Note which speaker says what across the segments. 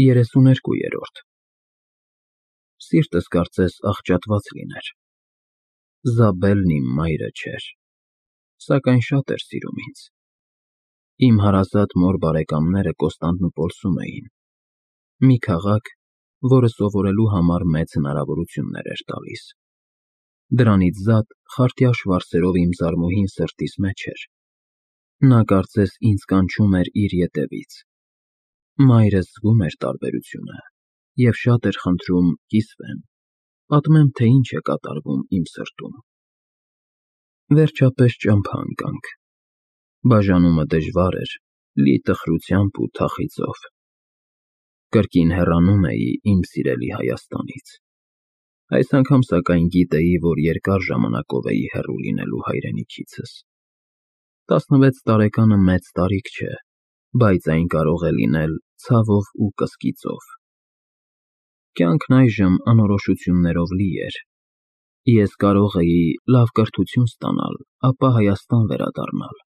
Speaker 1: 32-րդ Սիրտս կարծես աղճատված լիներ, Զաբելն իմ մայրը չէր, սակայն շատ էր սիրում ինձ, իմ հարազատ մոր բարեկամները Կոստանդնուպոլսում էին, մի քաղաք, որը սովորելու համար մեծ հնարավորություններ էր տալիս, դրանից զատ խարտյաշ վարսերով իմ զարմուհին սրտիս մեջ էր, նա կարծես ինձ կանչում էր իր ետևից, մայրս զգում էր տարբերությունը և շատ էր խնդրում կիսվեմ, պատմեմ, թե ինչ է կատարվում իմ սրտում, վերջապես ճամփա ընկանք, բաժանումը դժվար էր, լի տխրությամբ ու թախիծով, կրկին հեռանում էի իմ սիրելի Հայաստանից, այս անգամ սակայն գիտեի, որ երկար ժամանակով էի հեռու լինելու հայրենիքիցս, 16 տարեկանը մեծ տարիք չէ, բայց այն կարող է լինել ցավով ու կսկիծով, կյանքն այժմ անորոշություններով լի էր, ես կարող էի լավ կրթություն ստանալ, ապա Հայաստան վերադառնալ,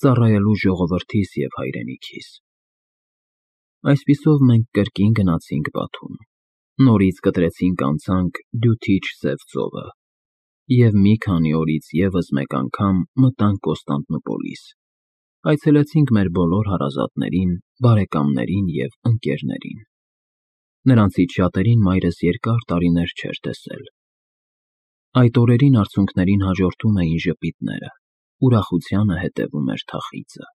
Speaker 1: ծառայելու ժողովրդիս և հայրենիքիս, այսպիսով մենք կրկին գնացինք Բաթում, նորից կտրեցինք անցանք Դյութիչ սև ծովը և մի քանի օրից ևս մեկ անգամ մտանք Կոստանդնուպոլիս, այցելեցինք մեր բոլոր հարազատներին, բարեկամներին և ընկերներին, նրանցից շատերին մայրս երկար տարիներ չէր տեսել, այդ օրերին արցունքներին հաջորդում էին ժպիտները, ուրախությանը հետևում էր թախիծը,